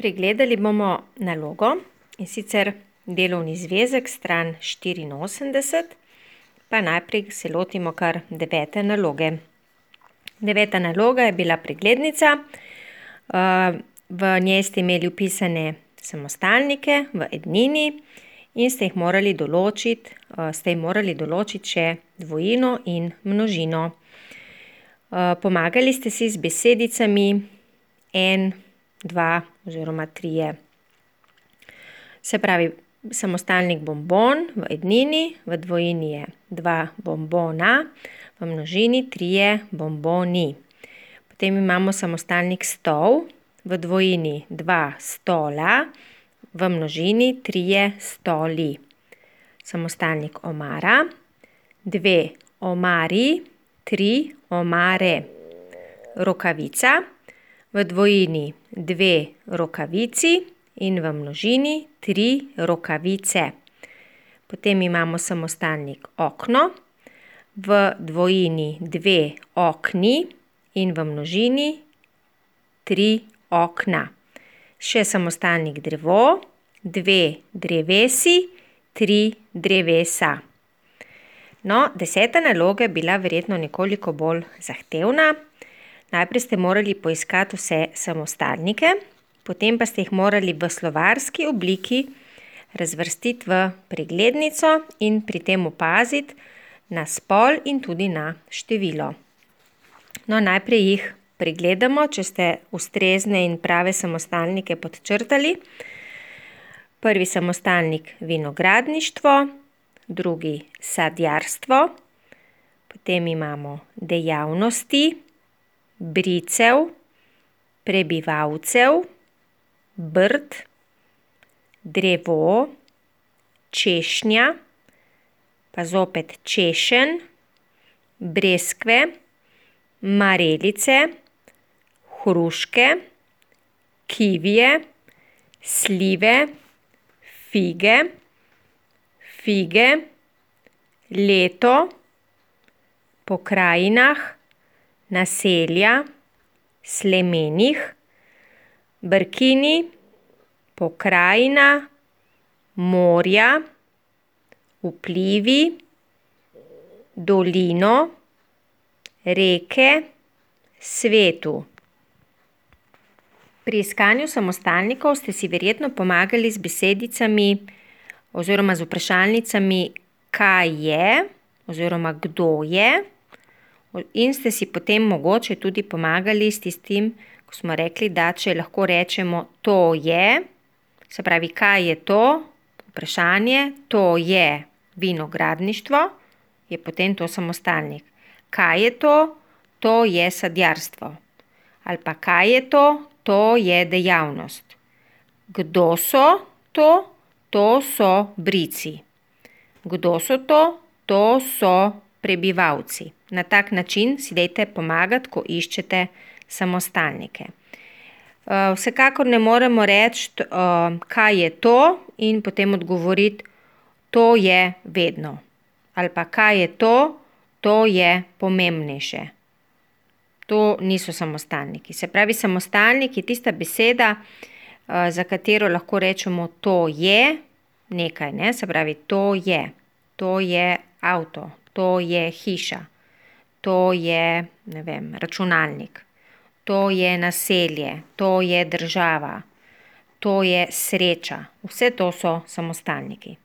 Pregledali bomo nalogo, in sicer delovni zvezek, stran 84, pa najprej se lotimo kar 9. naloge. 9. naloga je bila preglednica, v njej ste imeli vpisane samostalnike v ednini in ste morali določiti še dvojino in množino. Pomagali ste si z besedicami en, dva oziroma trije. Se pravi, samostalnik bombon v ednini, v dvojini je 2 bombona, v množini 3 bomboni. Potem imamo samostalnik stol, v dvojini 2 stola, v množini 3 stoli. Samostalnik omara, 2 omari, 3 omare. Rokavica, v dvojini 2 rokavici in v množini 3 rokavice. Potem imamo samostalnik okno, v dvojini 2 okni in v množini 3 okna. Še samostalnik drevo, 2 drevesi, 3 drevesa. No, 10. naloga je bila verjetno nekoliko bolj zahtevna. Najprej ste morali poiskati vse samostalnike, potem pa ste jih morali v slovarski obliki razvrstiti v preglednico in pri tem opaziti na spol in tudi na število. No, najprej jih pregledamo, če ste ustrezne in prave samostalnike podčrtali. Prvi samostalnik vinogradništvo, drugi sadjarstvo, potem imamo dejavnosti, bricev, prebivalcev, brd, drevo, češnja, pa zopet češenj, breskve, marelice, hruške, kivije, slive, fige, leto, po krajinah, naselja, slemenih, brkini, pokrajina, morja, vplivi, dolino, reke, svetu. Pri iskanju samostalnikov ste si verjetno pomagali z besedicami oziroma z vprašalnicami kaj je oziroma kdo je, in ste si potem mogoče tudi pomagali s tistim, ko smo rekli, da če lahko rečemo to je, se pravi, kaj je to, vprašanje, to je vinogradništvo, je potem to samostalnik. Kaj je to? To je sadjarstvo. Ali pa kaj je to? To je dejavnost. Kdo so to? To so brici. Kdo so to? To so prebivalci. Na tak način si dajte pomagati, ko iščete samostalnike. Vsekakor ne moremo reči, kaj je to in potem odgovoriti, to je vedno. Ali pa kaj je to? To je pomembnejše. To niso samostalniki. Se pravi, samostalnik je tista beseda, za katero lahko rečemo to je nekaj, ne? Se pravi, to je avto, to je hiša, to je, ne vem, računalnik, to je naselje, to je država, to je sreča. Vse to so samostalniki.